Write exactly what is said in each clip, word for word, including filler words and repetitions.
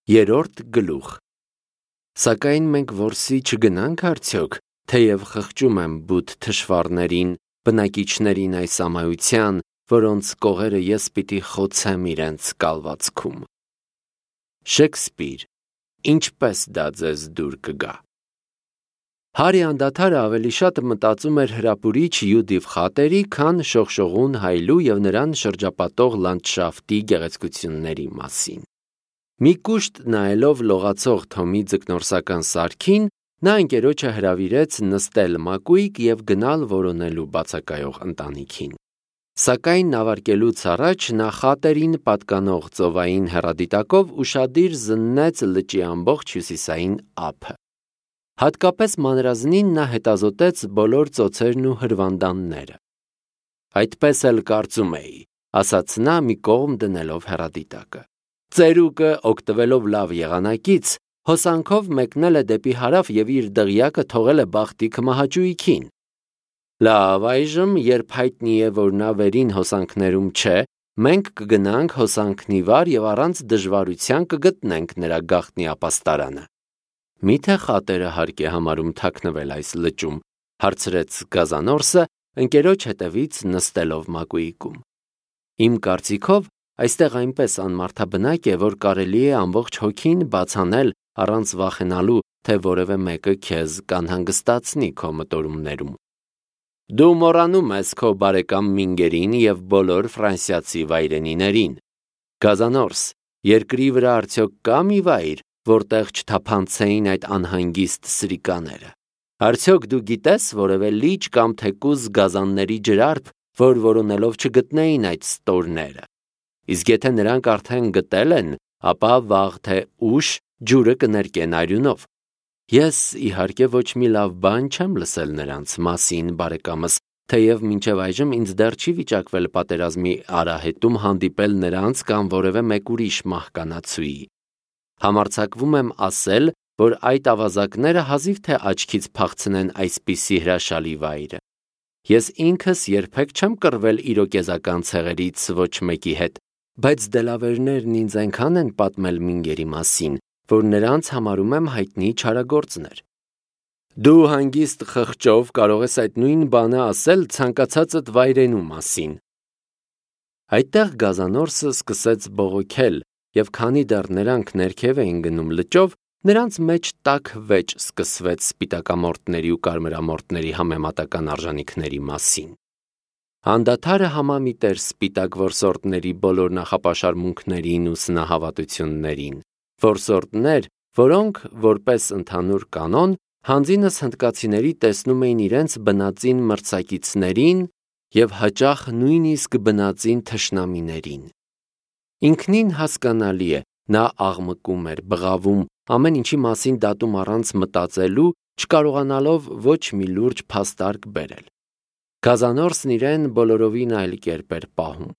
Երրորդ գլուխ։ Սակայն մենք որսի չգնանք արդյոք, թեև խղճում եմ բութ թշվառներին, բնակիչներին այս ամայության, որոնց կողերը ես պիտի խոցեմ իրենց կալվածքում։ Շեքսպիր, ինչպես դա ձեզ դուր կգա։ Հարի անդադարը ավելի շատ մտածում էր հրապուրիչ Յուդիվ խատերի, քան շողշողուն հայլու և նրան շրջապատող լանդշաֆտի գեղեցկությունների մասին։ Մի կուշտ նայելով լողացող Թոմի ձկնորսական սարքին, նա ընկերոջը հրավիրեց նստել մակույկ և գնալ որոնելու բացակայող ընտանիքին։ Սակայն նավարկելուց առաջ նա խատերին պատկանող ծովային հեռադիտակով ուշադիր զննեց լճի ամբողջ հյուսիսային ափը։ Հատկապես մանրազնին նա հետազոտեց բոլոր ծոցերն ու հրվանդանները։ Այդպես էլ կարծում էի, ասաց նա մի կողմ դնելով հեռադիտակը։ Ծերուկը, օգտվելով լավ եղանակից, հոսանքով մեկնել է դեպի հարավ և իր դղյակը թողել է բախտի քմահաճույքին։ Լավ, այժմ, երբ հայտնի է, որ նա վերին հոսանքներում չէ, մենք կգնանք հոսանքնի վար և առանց դժվարության կգտնենք նրա գաղտնի ապաստարանը։ Միթե խատերը հարկ է համարում թաքնվել այս լճում, հարցրեց Գազանորսը, ընկերոջ հետևից նստելով մակույկում։ Իմ կարծիքով, այստեղ այնպես անմարդաբնակ է, որ կարելի է ամբողջ հոգին բացանել առանց վախենալու, թե որևէ մեկը քեզ կանհանգստացնի քո մտորումներում։ Դու մոռանում ես քո բարեկամ Մինգերին և բոլոր ֆրանսիացի վայրենիներին։ Գազանորս, երկրի վրա արդյոք կա մի վայր, որտեղ չթափանցեին այդ անհանգիստ սրիկաները։ Արդյոք դու գիտես որևէ լիճ կամ թեկուզ գազանների ջրարկ, որ որոնելով չգտնեին այդ ստորները։ Իսկ եթե նրանք արդեն գտել են, ապա վաղ թե ուշ ջուրը կներկեն արյունով։ Ես, իհարկե, ոչ մի լավ բան չեմ լսել նրանց մասին, բարեկամս, թեև մինչև այժմ ինձ դեռ չի վիճակվել պատերազմի արահետում հանդիպել նրանց կամ որևէ մեկ ուրիշ մահկանացուի։ Համարձակվում եմ ասել, որ այդ ավազակները հազիվ թե աչքից փախցնեն այսպիսի հրաշալի վայրը։ Ես ինքս երբեք չեմ կռվել իրոկեզական ցեղերից ոչ մեկի հետ, բայց դելավերներն ինձ այնքան են պատմել Մինգերի մասին, որ նրանց համարում եմ հայտնի չարագործներ։ Դու հանգիստ խղճով կարող ես այդ նույն բանը ասել ցանկացածդ վայրենու մասին։ Այդտեղ Գազանորսը սկսեց բողոքել, և քանի դեռ նրանք ներքև էին գնում լճով, նրանց մեջ տաք վեճ սկսվեց սպիտակամորտների ու կարմրամորտների համեմատական արժանիքների մասին։ Անդադարը համամիտ էր սպիտակ որսորդների բոլոր նախապաշարմունքներին ու սնահավատություններին, որսորդներ, որոնք, որպես ընդհանուր կանոն, հանձինս հնդկացիների տեսնում էին իրենց բնածին մրցակիցներին և հաճախ նույնիսկ բնածին թշնամիներին։ Ինքնին հասկանալի է, նա աղմկում էր, բղավում, ամեն ինչի մասին դատում առանց մտածելու, չկարողանալով ոչ մի լուրջ փաստարկ բերել։ Գազանորսն իրեն բոլորովին այլ կերպ էր պահում։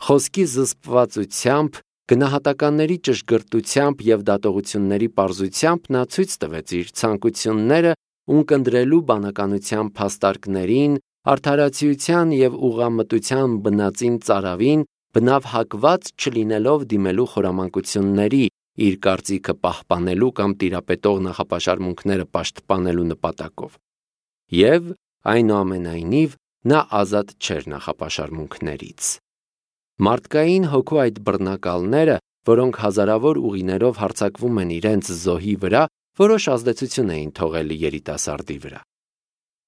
Խոսքի զսպվածությամբ, գնահատականների ճշգրտությամբ և դատողությունների պարզությամբ նա ցույց տվեց իր ցանկությունները ունկնդրելու բանականության փաստարկներին, արդարացիության և ուղղամտության բնածին ծարավին, բնավ հակված չլինելով դիմելու խորամանկությունների, իր կարծիքը պահպանելու կամ տիրապետող նախապաշարմունքները պաշտպանելու նպատակով։ Եվ, այնուամենայնիվ, նա ազատ չէր նախապաշարմունքներից։ Մարդկային հոգու այդ բռնակալները, որոնք հազարավոր ուղիներով հարձակվում են իրենց զոհի վրա, որոշ ազդեցություն էին թողել երիտասարդի վրա։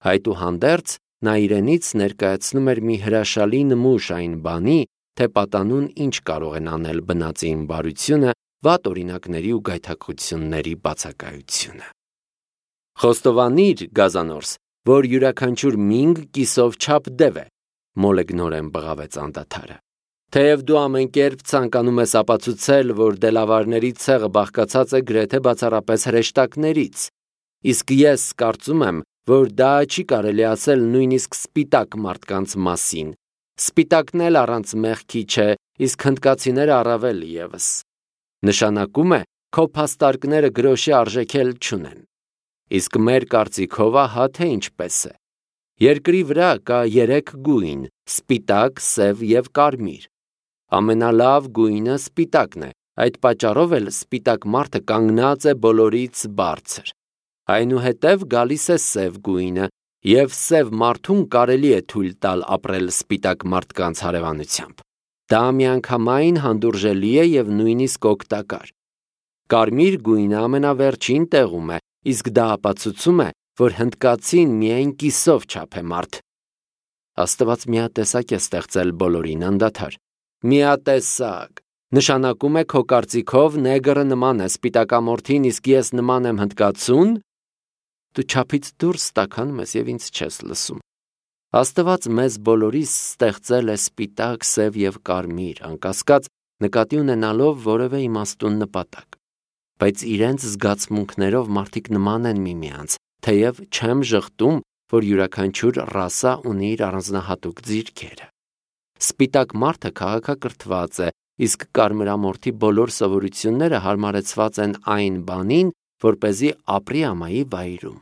Այդուհանդերձ, նա իրենից ներկայացնում էր մի հրաշալի նմուշ այն բանի, թե պատանուն ինչ կարող են անել բնածին բարությունը, վատ օրինակների ու գայթակղությունների բացակայությունը։ Խոստովանիր, Գազանորս, որ յուրաքանչյուր Մինգ կիսով չափ դև է, մոլեգնորեն բղավեց անդադարը։ Թեև դու ամեն կերպ ցանկանում ես ապացուցել, որ դելավարների ցեղը բաղկացած է գրեթե բացառապես հրեշտակներից, իսկ ես կարծում եմ, որ դա չի կարելի ասել նույնիսկ սպիտակ մարդկանց մասին։ Սպիտակն էլ առանց մեղքի չէ, իսկ հնդկացիները առավել ևս։ Նշանակում է, քո փաստարկները գրոշի արժեքել չունեն։ Իսկ մեր կարծիքով ահա թե ինչպես է։ Երկրի վրա կա երեք գույն՝ սպիտակ, սև և կարմիր։ Ամենալավ գույնը սպիտակն է, Այդ պատճառով էլ սպիտակ մարդը կանգնած է բոլորից բարձր։ Այնուհետև գալիս է սև գույնը, և սև մարդուն կարելի է թույլ տալ ապրել սպիտակ մարդկանց հարևանությամբ։ Դա միանգամայն հանդուրժելի է և նույնիսկ օգտակար։ Կարմիր գույնը ամենավերջին տեղում է, իսկ դա ապացուցում է, որ հնդկացին միայն կիսով չափ է մարդ։ Աստված միատեսակ է ստեղծել բոլորին անդադար։ Միատեսակ նշանակում է քո կարծիքով նեգրը նման է սպիտակամորթին, իսկ ես նման եմ հնդկացուն։ Դու չափից դուրս տաքանում ես և ինձ չես լսում։ Աստված մեզ բոլորիս ստեղծել է սպիտակ, սև և կարմիր, անկասկած նկատի ունենալով որևէ իմաստուն նպատակ։ Բայց իրենց զգացմունքներով մարդիկ նման են միմյանց, թեև չեմ ժխտում, որ յուրաքանչյուր ռասա ունի իր առանձնահատուկ ձիրքերը։ Սպիտակ մարդը քաղաքակրթված է, իսկ կարմրամորթի բոլոր սովորությունները հարմարեցված են այն բանին, որպեսզի ապրի ամայի վայրում։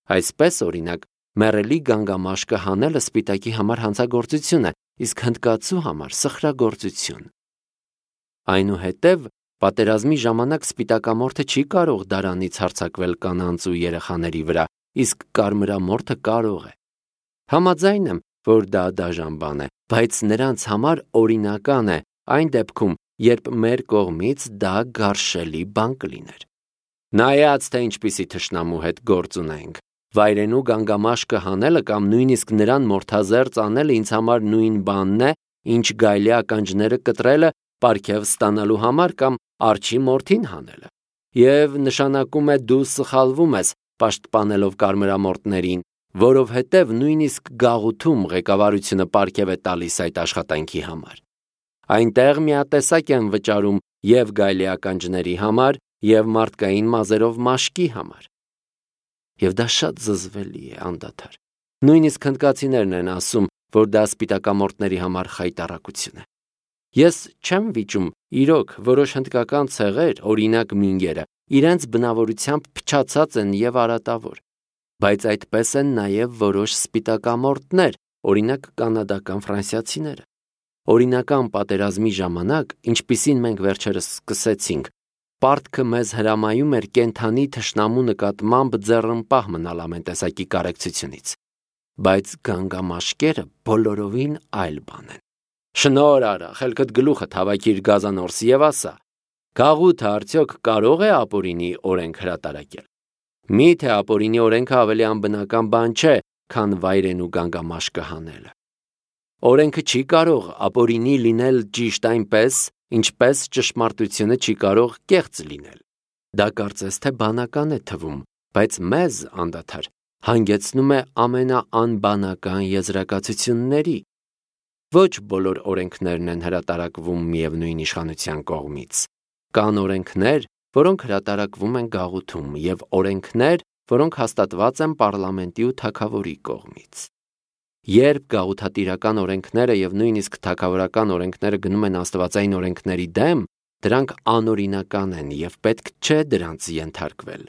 Այսպես, օրինակ, մեռելի գանգամաշկը հանելը սպիտակի համար հանցագործություն է, իսկ հնդկացու համար սխրագործություն։ Այնուհետև, պատերազմի ժամանակ սպիտակամորթը չի կարող դարանից հարձակվել կանանց ու երեխաների վրա, իսկ կարմրամորթը կարող է։ Համաձայն եմ, որ դա դաժան բան է, բայց նրանց համար օրինական է այն դեպքում, երբ մեր կողմից դա գարշելի բան կլիներ։ Նայած, թե ինչպիսի թշնամու հետ գործ ունենք, վայրենու գանգամաշկը հանելը կամ նույնիսկ նրան մորթազերծ անելը ինձ համար նույն բանն է, ինչ գայլի ականջները կտրելը պարգև ստանալու համար կամ արջի մորթին հանելը։ Եվ նշանակում է դու սխալվում ես պաշտպանելով կարմրամորթներին, որովհետև նույնիսկ գաղութում ղեկավարությունը պարգև է տալիս այդ աշխատանքի համար։ Այնտեղ միատեսակ են վճարում և գայլի ականջների համար, և մարդկային մազերով մաշկի համար։ Եվ դա շատ զզվելի է անդադար։ Նույնիսկ հնդկացիներն են ասում, որ դա սպիտակամորթների համար խայտառակություն է։ Ես չեմ վիճում, իրոք, որոշ հնդկական ցեղեր, օրինակ մինգերը, իրենց բնավորությամբ փչացած են և արատավոր, բայց այդպես են նաև որոշ սպիտակամորթներ, օրինակ կանադական ֆրանսիացիները։ Օրինական պատերազմի ժամանակ, ինչպիսին մենք վերջերս սկսեցինք, պարտքը մեզ հրամայում էր կենդանի թշնամու նկատմամբ ձեռնպահ մնալ ամեն տեսակի կարեկցությունից։ Բայց գանգամաշկերը բոլորովին այլ բան են։ Շնոր արա, խելքդ գլուխդ հավաքիր գազանորս և ասա. գաղութը արդյոք կարող է ապօրինի օրենք հրատարակել։ Միթե ապօրինի օրենքը ավելի անբնական բան չէ, քան վայրենու գանգամաշկը հանելը։ Օրենքը չի կարող ապօրինի լինել ճիշտ այնպես, ինչպես ճշմարտությունը չի կարող կեղծ լինել։ Դա կարծես թե բանական է թվում, բայց մեզ անդադար հանգեցնում է ամենաանբանական եզրակացությունների։ Ոչ բոլոր օրենքներն են հրատարակվում միևնույն իշխանության կողմից։ Կան օրենքներ, որոնք հրատարակվում են գաղութում, և օրենքներ, որոնք հաստատված են պարլամենտի ու թագավորի կողմից։ Երբ գաղութատիրական օրենքները և նույնիսկ թագավորական օրենքները գնում են աստվածային օրենքների դեմ, դրանք անօրինական են և պետք չէ դրանց ենթարկվել։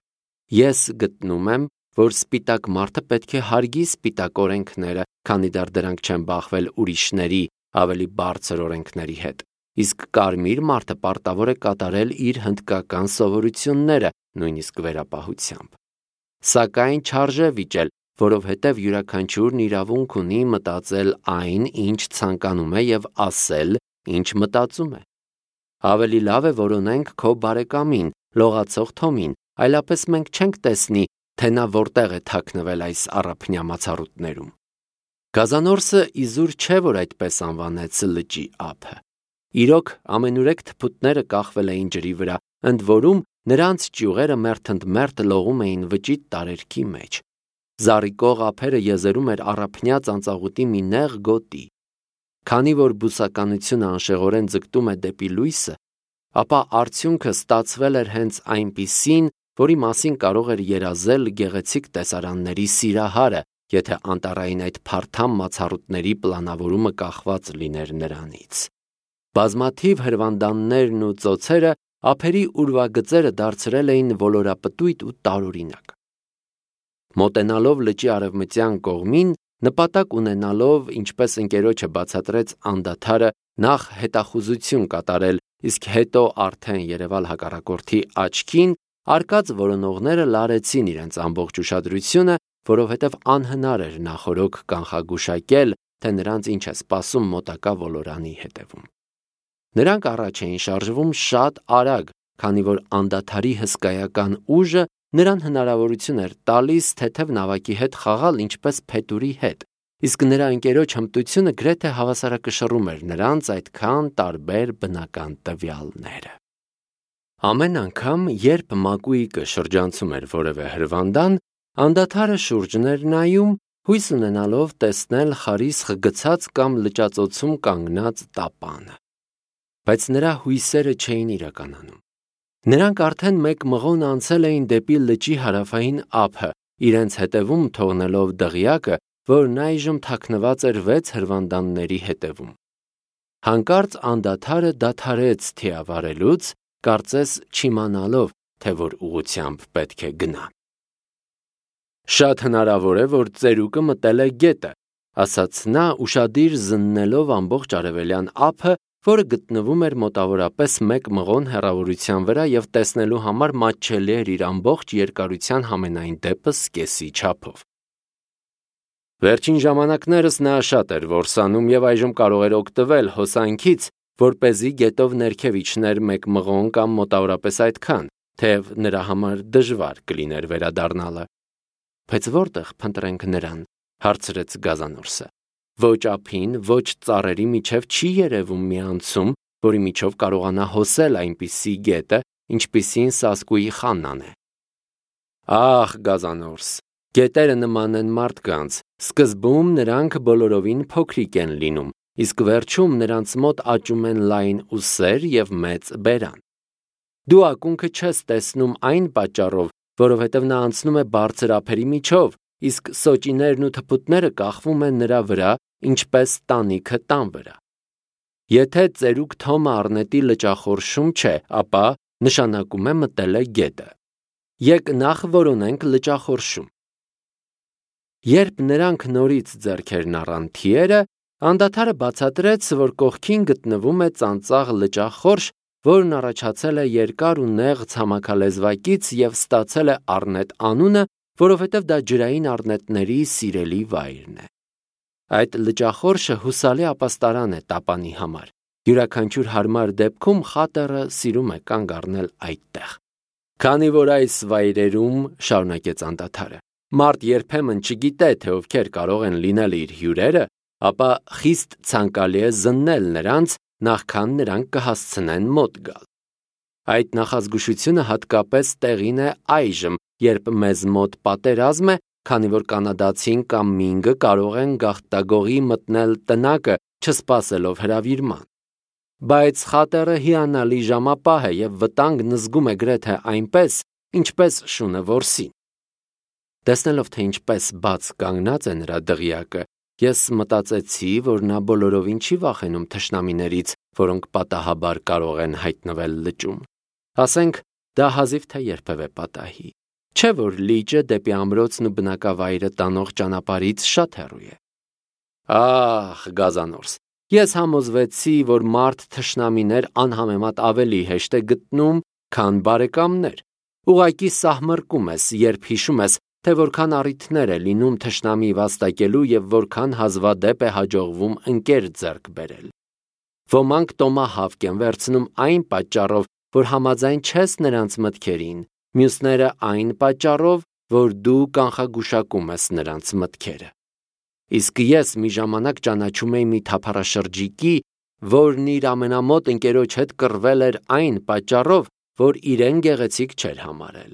Ես գտնում եմ, որ սպիտակ մարդը պետք է հարգի սպիտակ օրենքները, քանի դեռ դրանք չեն բախվել ուրիշների ավելի բարձր օրենքների հետ, իսկ կարմիր մարդը պարտավոր է կատարել իր հնդկական սովորությունները, նույնիսկ վերապահությամբ։ Սակայն չարժե վիճել, որովհետև յուրաքանչյուրն իրավունք ունի մտածել այն, ինչ ցանկանում է, և ասել, ինչ մտածում է։ Ավելի լավ է որոնենք քո բարեկամին, լողացող Թոմին, այլապես մենք չենք տեսնի, թե նա որտեղ է թաքնվել այս առափնյա մացառուտներում։ Գազանորսը իզուր չէ, որ այդպես անվանեց լճի ափը։ Իրոք, ամենուրեք թփուտները կախվել էին ջրի վրա, ընդ որում նրանց ճյուղերը մերթ ընդ մերթ լողում էին վճիտ տարերքի մեջ։ Զառիկող ափերը եզերում էր առափնյա ծանծաղուտի մի նեղ գոտի։ Քանի որ բուսականությունը անշեղորեն ձգտում է դեպի լույսը, ապա արդյունքը ստացվել էր հենց այնպիսին, որի մասին կարող էր երազել գեղեցիկ տեսարանների սիրահարը, եթե անտառային այդ փարթամ մացառուտների պլանավորումը կախված լիներ նրանից։ Բազմաթիվ հրվանդաններն ու ծոցերը ափերի ուրվագծերը դարձրել էին ոլորապտույտ ու տարօրինակ։ Մոտենալով լճի արևմտյան կողմին, նպատակ ունենալով, ինչպես ընկերոջը բացատրեց անդադարը, նախ հետախուզություն կատարել իսկ հետո արդեն երևալ հակառակորդի աչքին, արկած որոնողները լարեցին իրենց ամբողջ ուշադրությունը, որովհետև անհնար էր նախօրոք կանխագուշակել, թե նրանց ինչ է սպասում մոտակա ոլորանի հետևում։ Նրանք առաջ էին շարժվում շատ արագ, քանի որ անդադարի հսկայական ուժը նրան հնարավորություն էր տալիս թեթև նավակի հետ խաղալ ինչպես փետուրի հետ, իսկ նրա ընկերոջ հմտությունը գրեթե հավասարակշռում էր նրանց այդքան տարբեր բնական տվյալները։ Ամեն անգամ, երբ Մակուիկը շրջանցում էր որևէ հրվանդան, անդադարը շուրջն էր նայում, հույս ունենալով տեսնել խարիսխ գցած կամ լճածոցում կանգնած տապանը։ Բայց նրա հույսերը չէին իրականանում։ Նրանք արդեն մեկ մղոն անցել էին դեպի լճի հարավային ափը, իրենց հետևում թողնելով դղյակը, որն այժմ թաքնված էր վեց հրվանդանների հետևում։ Հանկարծ անդադարը դադարեց թիավարելուց, կարծես չիմանալով, թե որ ուղղությամբ պետք է գնա։ Շատ հնարավոր է, որ ծերուկը մտել է գետը, ասաց նա, ուշադիր զննելով ամբողջ արևելյան ափը, որը գտնվում էր մոտավորապես մեկ մղոն հեռավորության վրա և տեսնելու համար մատչելի էր իր ամբողջ երկարության համենայն դեպս կեսի չափով։ Վերջին ժամանակներս նա շատ էր որսանում և այժմ կարող էր օգտվել հոսանքից, որպեսզի գետով ներքև իջներ մեկ մղոն կամ մոտավորապես այդքան, թեև նրա համար դժվար կլիներ վերադառնալը։ Բայց որտեղ փնտրենք նրան, հարցրեց Գազանորսը։ Ոչ ափին, ոչ ծառերի միջև չի երևում մի անցում, որի միջով կարողանա հոսել այնպիսի գետը, ինչպիսին Սասկուի խաննան է։ Ահ, Գազանորս, գետերը նման են մարդկանց, սկզբում նրանք բոլորովին փոքրիկ են լինում, իսկ վերջում նրանց մոտ աճում են լայն ուսեր և մեծ բերան։ Դու ակունքը չես տեսնում այն պատճառով, որովհետև նա անցնում է բարձր ափերի միջով, իսկ սոճիներն ու թփուտները կախվում են նրա վրա, ինչպես տանիքը տան վրա։ Եթե ծերուկ Թոմը առնետի լճախորշում չէ, ապա նշանակում է մտել է գետը։ Եկ նախ որոնենք լճախորշում։ Երբ նրանք նորից ձեռքերն առան թիերը, անդադարը բացատրեց, որ կողքին գտնվում է ծանծաղ լճախորշ, որն առաջացել է երկար ու նեղ ցամաքալեզվակից և ստացել է առնետ անունը, որովհետև դա ջրային առնետների սիրելի վայրն է։ Այդ լճախորշը հուսալի ապաստարան է տապանի համար։ Յուրաքանչյուր հարմար դեպքում խատերը սիրում է կանգ առնել այդտեղ։ Քանի որ այս վայրերում, շարունակեց անդադարը, մարդ երբեմն չգիտե, թե ովքեր կարող են լինել իր հյուրերը, ապա խիստ ցանկալի է զննել նրանց, նախքան նրանք կհասցնեն մոտ գալ։ Այդ նախազգուշությունը հատկապես տեղին է այժմ, երբ մեզ մոտ պատերազմ է, քանի որ կանադացին կամ մինգը կարող են գաղտագողի մտնել տնակը, չսպասելով հրավիրման։ Բայց խատերը հիանալի ժամապահ է և վտանգն զգում է գրեթե այնպես, ինչպես շունը որսին։ Տեսնելով, թե ինչպես բաց կանգնած է նրա դղյակը, ես մտածեցի, որ նա բոլորովին չի վախենում թշնամիներից, որոնք պատահաբար կարող են հայտնվել լճում։ Ասենք, դա հազիվ թե երբևէ պատահի։ Չէ՞ որ լիճը դեպի ամրոցն ու բնակավայրը տանող ճանապարհից շատ հեռու է։ Ահ, Գազանորս, ես համոզվեցի, որ մարդ թշնամիներ անհամեմատ ավելի հեշտ է գտնում, քան բարեկամներ։ Ուղղակի սահմռկում ես, երբ հիշում ես, թե որքան առիթներ է լինում թշնամի վաստակելու և որքան հազվադեպ է հաջողվում ընկեր ձեռք բերել։ Ոմանք տոմահավք են վերցնում այն պատճառով, որ համաձայն չես նրանց մտքերին, մյուսները այն պատճառով, որ դու կանխագուշակում ես նրանց մտքերը։ Իսկ ես մի ժամանակ ճանաչում էի մի թափառաշրջիկի, որն իր ամենամոտ ընկերոջ հետ կռվել էր այն պատճառով, որ իրեն գեղեցիկ չէր համարել։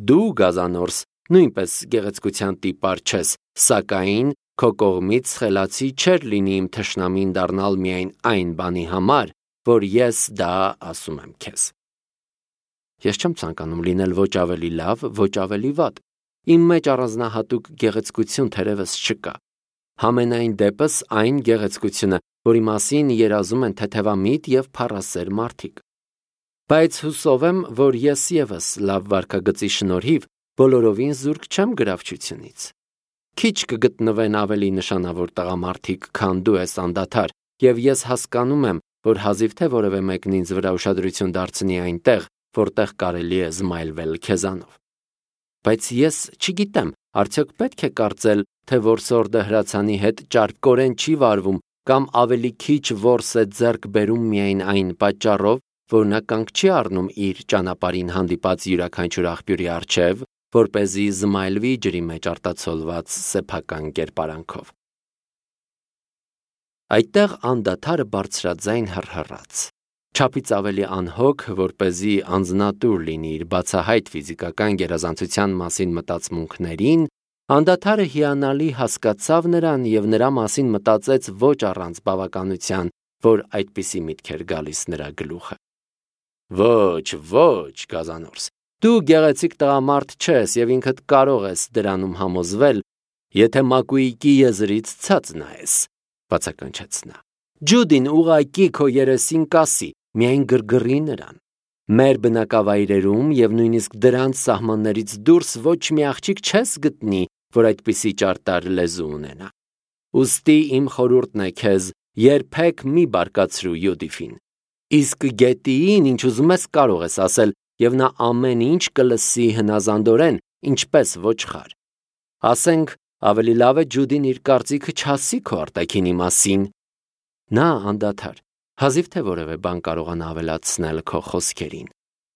Դու, Գազանորս, նույնպես գեղեցկության տիպար չես, սակայն քո կողմից խելացի չէր լինի իմ թշնամին դառնալ միայն այն բանի համար, որ ես դա ասում եմ քեզ։ Ես չեմ ցանկանում լինել ոչ ավելի լավ, ոչ ավելի վատ։ Իմ մեջ առանձնահատուկ գեղեցկություն թերևս չկա։ Համենայն դեպս այն գեղեցկությունը, որի մասին երազում են թեթևամիտ և փառասեր մարդիկ։ Բայց հուսով եմ, որ ես ևս լավ վարքագծի շնորհիվ բոլորովին զուրկ չեմ գրավչությունից։ Քիչ կգտնվեն ավելի նշանավոր տղամարդիկ, քան դու ես անդադար, և ես հասկանում եմ, որ հազիվ թե որևէ մեկն ինձ վրա ուշադրություն դարձնի այնտեղ, որտեղ կարելի է զմայլվել քեզանով։ Բայց ես չգիտեմ, արդյոք պետք է կարծել, թե որսորդը հրացանի հետ ճարպկորեն չի վարվում կամ ավելի քիչ որս է ձեռք բերում միայն այն պատճառով, որ նա կանգ չի առնում իր ճանապարհին հանդիպած յուրաքանչյուր աղբյուրի առջև, որպեսզի զմայլվի ջրի մեջ արտացոլված սեփական կերպարանքով։ Այդտեղ անդադար բարձրաձայն հռհռաց, չափից ավելի անհոգ, որպեսզի անձնատուր լինի իր բացահայտ ֆիզիկական գերազանցության մասին մտածմունքներին, անդադարը հիանալի հասկացավ նրան և նրա մասին մտածեց ոչ առանց բավականության, որ այդպիսի միտք էր գալիս նրա գլուխը։ Ոչ, ոչ, Գազանորս, դու գեղեցիկ տղամարդ չես և ինքդ կարող ես դրանում համոզվել, եթե մակույկի եզրից ցած նայես, բացականչեց նա։ Ջուդին ուղղակի քո երեսին կասի, միայն գրգռի նրան։ Մեր բնակավայրերում և նույնիսկ դրանց սահմաններից դուրս ոչ մի աղջիկ չես գտնի, որ այդպիսի ճարտար լեզու ունենա։ Ուստի իմ խորհուրդն է քեզ, երբեք մի բարկացրու Յուդիֆին։ Իսկ Գետիին ինչ ուզում ես կարող ես ասել, և նա ամեն ինչ կլսի հնազանդորեն, ինչպես ոչխար։ Ասենք, ավելի լավ է Ջուդին իր կարծիքը չասի քո արտաքինի մասին։ Նա անդադար, հազիվ թե որևէ բան կարողանա ավելացնել քո խոսքերին։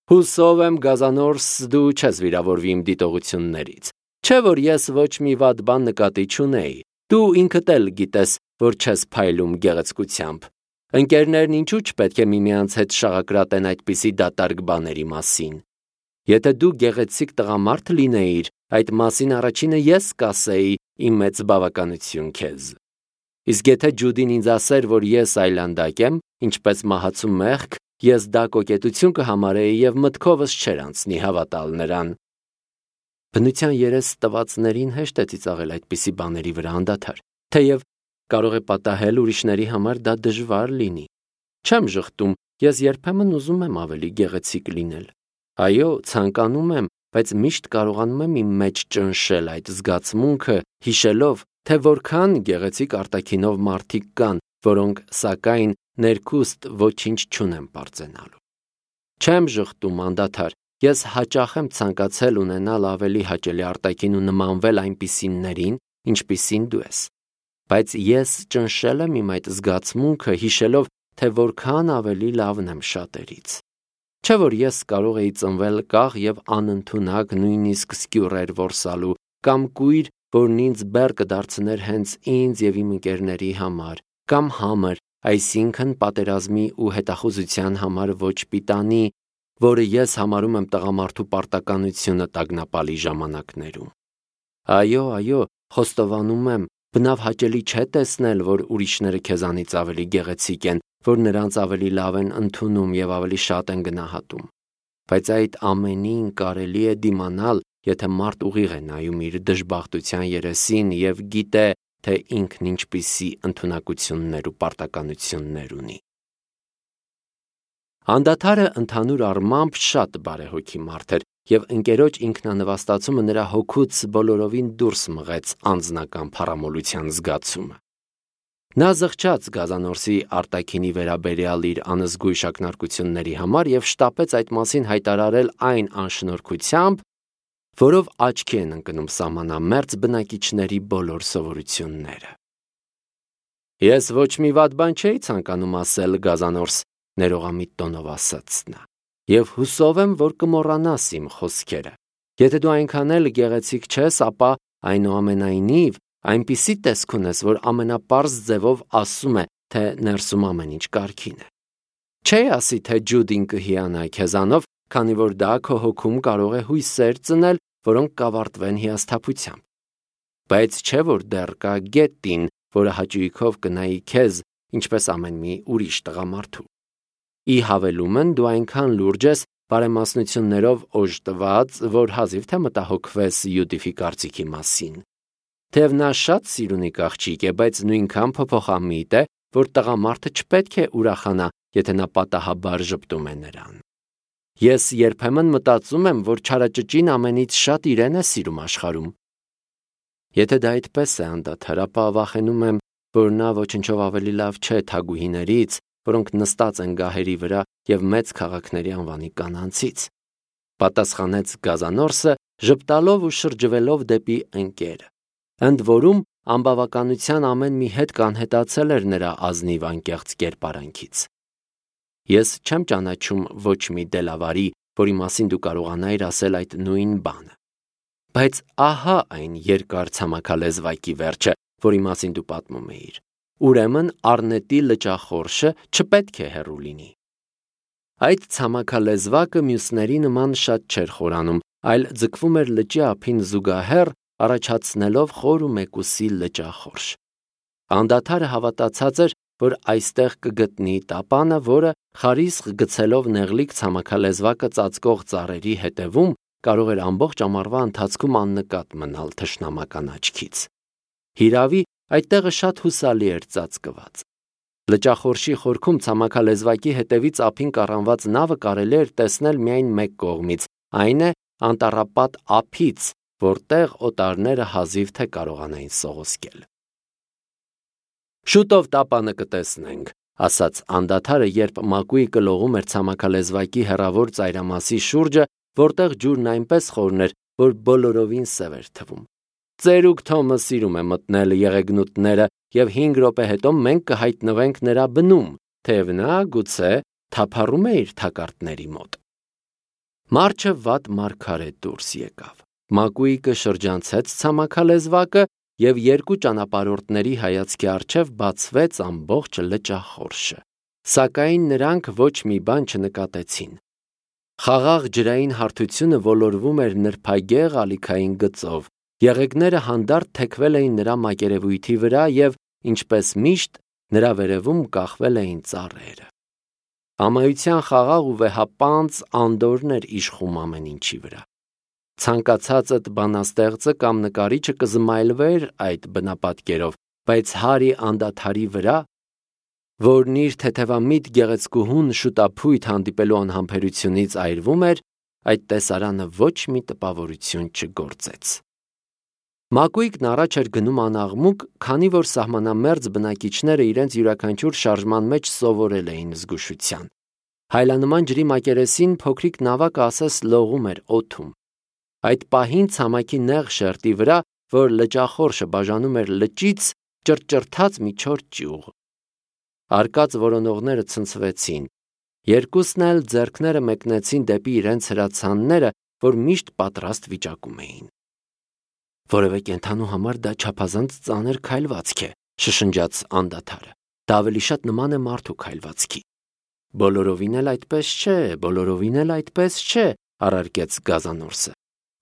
Հուսով եմ, Գազանորս, դու չես վիրավորվի իմ դիտողություններից։ Չէ՞ որ ես ոչ մի վատ բան նկատի չունեի։ Դու ինքդ էլ գիտես, որ չես փայլում գեղեցկությամբ։ Ընկերներն ինչու՞ չպետք է միմյանց հետ շաղակրատեն այդպիսի դատարկ բաների մասին։ Եթե դու գեղեցիկ տղամարդ լինեիր, այդ մասին առաջինը ես կասեի իմ մեծ բավականություն քեզ։ Իսկ եթե Ջուդին ինձ ասեր, որ ես այլանդակ եմ, ինչպես մահացու մեղք, ես դա կոկետություն կհամարեի և մտքովս չէր անցնի հավատալ նրան։ Բնության երես տվածներին հեշտ է ծիծաղել այդպիսի բաների վրա անդադար, թեև կարող է պատահել ուրիշների համար դա դժվար լինի։ Չեմ ժխտում, ես երբեմն ուզում եմ ավելի գեղեցիկ լինել։ Այո, ցանկանում եմ, բայց միշտ կարողանում եմ իմ մեջ ճնշել այդ զգացմունքը, հիշելով, թե որքան գեղեցիկ արտաքինով մարդիկ կան, որոնք, սակայն, ներքուստ ոչինչ չունեն պարծենալու։ Չեմ ժխտում անդադար, ես հաճախ եմ ցանկացել ունենալ ավելի հաճելի արտաքին ու նմանվել այնպիսիներին, ինչպիսին դու ես։ Բայց ես ճնշել եմ իմ այդ զգացմունքը, հիշելով, թե որքան ավելի լավն եմ շատերից։ Չէ՞ որ ես կարող էի ծնվել կաղ և անընդունակ նույնիսկ սկյուռեր որսալու, կամ կույր, որն ինձ բեռ կդարձներ հենց ինձ և իմ ընկերների համար, կամ համր, այսինքն պատերազմի ու հետախուզության համար ոչ պիտանի, որը ես համարում եմ տղամարդու պարտականությունը տագնապալի ժամանակներում։ Այո, այո, խոստովանում եմ, բնավ հաճելի չէ տեսնել, որ ուրիշները քեզանից ավելի գեղեցիկ են, որ նրանց ավելի լավ են ընդունում և ավելի շատ են գնահատում։ Բայց այդ ամենին կարելի է դիմանալ, եթե մարդ ուղիղ է նայում իր դժբախտության երեսին և գիտե, թե ինքն ինչպիսի ընդունակություններ ու պարտականություններ ունի։ Անդադարը ընդհանուր առմամբ շատ բարեհոգի մարդ էր, և ընկերոջ ինքնանվաստացումը նրա հոգուց բոլորովին դուրս մղեց անձնական փառամոլության զգացումը։ Նա զղջաց Գազանորսի արտաքինի վերաբերյալ իր անզգույշ ակնարկությունների համար և շտապեց այդ մասին հայտարարել այն անշնորհքությամբ, որով աչքի են ընկնում սահմանամերձ բնակիչների բոլոր սովորությունները։ Ես ոչ մի վատ բան չէի ցանկանում ասել, Գազանորս, ներողամիտ տոնով ասաց նա, և հուսով եմ, որ կմոռանաս իմ խոսքերը։ Եթե դու այնքան էլ գեղեցիկ չես, ապա այնուամենայնիվ այնպիսի տեսք ունես, որ ամենապարզ ձևով ասում է, թե ներսում ամեն ինչ կարգին է։ Չէ ասի, թե Ջուդին կհիանա քեզանով, քանի որ դա քո հոգում կարող է հույսեր ծնել, որոնք կավարտվեն հիասթափությամբ։ Բայց չէ որ դեռ կա Գետին, որը հաճույքով կնայի քեզ, ինչպես ամեն մի ուրիշ տղամարդու։ Ի հավելումն դու այնքան լուրջ ես, բարեմասնություններով օժտված, որ հազիվ թե մտահոգվես Յուդիֆի կարծիքի մասին։ Թեև նա շատ սիրունիկ աղջիկ է, բայց նույնքան փոփոխամիտ է, որ տղամարդը չպետք է ուրախանա, եթե նա պատահաբար ժպտում է նրան։ Ես երբեմն մտածում եմ, որ չարաճճին ամենից շատ իրեն է սիրում աշխարհում։ Եթե դա այդպես է անդադար, ապա վախենում եմ, որ նա ոչնչով ավելի լավ չէ թագուհիներից, որոնք նստած են գահերի վրա և մեծ քաղաքների անվանի կանանցից։ Պատասխանեց գազանորսը, ժպտալով ու շրջվելով դեպի ընկերը։ Ընդ որում անբավականության ամեն մի հետ կանհետացել էր նրա ազնիվ անկեղծ կերպարանքից։ Ես չեմ ճանաչում ոչ մի դելավարի, որի մասին դու կարողանայիր ասել այդ նույն բանը։ Բայց ահա այն երկար ցամաքալեզվակի վերջը, որի մասին դու պատմում էիր։ Ուրեմն առնետի լճախորշը չպետք է հեռու լինի։ Այդ ցամաքալեզվակը մյուսների նման շատ չէր խորանում, այլ ձգվում էր լճի ափին զուգահեռ, առաջացնելով խոր ու մեկուսի լճախորշ։ Անդադարը հավատացած էր, որ այստեղ կգտնի տապանը, որը խարիսխ գցելով նեղլիկ ցամաքալեզվակը ծածկող ծառերի հետևում կարող էր ամբողջ ամառվա ընթացքում աննկատ մնալ թշնամական աչքից։ Հիրավի, այդ տեղը շատ հուսալի էր ծածկված։ Լճախորշի խորքում ցամաքալեզվակի հետևից ափին կառանված նավը կարելի էր տեսնել միայն մեկ կողմից, այն է անտառապատ ափից, որտեղ օտարները հազիվ թե կարողանային սողոսկել։ Շուտով տապանը կտեսնենք, ասաց անդադարը, երբ Մակուիկը լողում էր ցամաքալեզվակի հեռավոր ծայրամասի շուրջը, որտեղ ջուրն այնպես խորն էր, որ բոլորովին սև էր թվում։ Ծերուկ Թոմը սիրում է մտնել եղեգնուտները, և հինգ րոպե հետո մենք կհայտնվենք նրա բնում, թեև նա գուցե թափառում է իր թակարդների մոտ։ Մարչը վատ մարգարե դուրս եկավ։ Մակուիկը շրջանցեց ցամաքալեզվակը, և երկու ճանապարհորդների հայացքի առջև բացվեց ամբողջ լճախորշը։ Սակայն նրանք ոչ մի բան չնկատեցին։ Խաղաղ ջրային հարթությունը ոլորվում էր նրբագեղ ալիքային գծով, եղեգները հանդարտ թեքվել էին նրա մակերևույթի վրա և, ինչպես միշտ, նրա վերևում կախվել էին ծառերը։ Ամայության խաղաղ ու վեհապանծ անդորրն էր իշխում ամեն ինչի վրա։ Ցանկացածդ բանաստեղծը կամ նկարիչը կզմայլվեր այդ բնապատկերով, բայց Հարի անդադարի վրա, որն իր թեթևամիտ գեղեցկուհուն շուտափույթ հանդիպելու անհամբերությունից այրվում էր, այդ տեսարանը ոչ մի տպավորություն չգործեց։ Մակուիկն առաջ էր գնում անաղմուկ, քանի որ սահմանամերձ բնակիչները իրենց յուրաքանչյուր շարժման մեջ սովորել էին զգուշության։ Հայլանման ջրի մակերեսին փոքրիկ նավակը ասես լողում էր օդում։ Այդ պահին ցամաքի նեղ շերտի վրա, որ լճախորշը բաժանում էր լճից, ճռճռթաց մի չոր ճյուղ։ Արկած որոնողները ցնցվեցին։ Երկուսն էլ ձեռքները մեկնեցին դեպի իրենց հրացանները, որ միշտ պատրաստ վիճակում էին։ Որևէ կենդանու համար դա չափազանց ծանր քայլվածք է, շշնջաց անդադարը։ Դա ավելի շատ նման է մարդու քայլվածքի։ Բոլորովին էլ այդպես չէ, բոլորովին էլ այդպես չէ, առարկեց գազանորսը։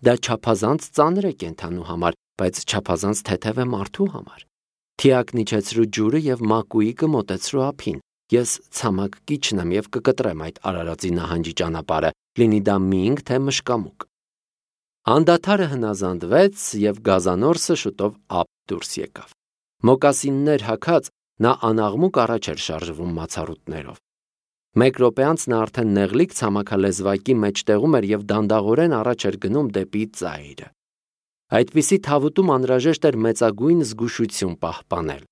Դա չափազանց ծանր է կենդանու համար, բայց չափազանց թեթև է մարդու համար։ Թիակն իջեցրու ջուրը և Մակուիկը մոտեցրու ափին։ Ես ցամաք կիչն եմ և կկտրեմ այդ Արարածի նահանջի ճանապարհը, լինի դա մինգ թե մշկամուկ։ Անդադարը հնազանդվեց, և գազանորսը շուտով ափ դուրս եկավ։ Մոկասիններ հագած, նա անաղմուկ առաջ էր շարժվում մացառուտներով։ Մեկ րոպե անց նա արդեն նեղլիկ ցամաքալեզվակի մեջտեղում էր և դանդաղորեն առաջ էր գնում դեպի ծայրը։ Այդպիսի թավուտում անհրաժեշտ էր մեծագույն զգուշություն պահպանել։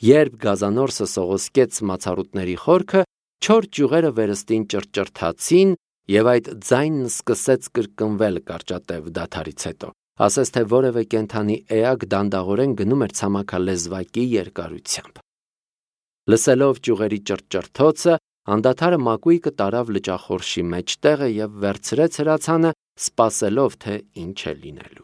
Երբ գազանորսը սողոսկեց մացառուտների խորքը, չոր ճյուղերը վերստին ճռճռթացին, և այդ ձայնն սկսեց կրկնվել կարճատև դադարից հետո, ասես թե որևէ կենդանի էակ դանդաղորեն գնում էր ցամաքալեզվակի երկարությամբ։ Լսելով ճյուղերի ճռճռթոցը, անդադարը Մակուիկը տարավ լճախորշի մեջտեղը և վերցրեց հրացանը, սպասելով, թե ինչ է լինելու։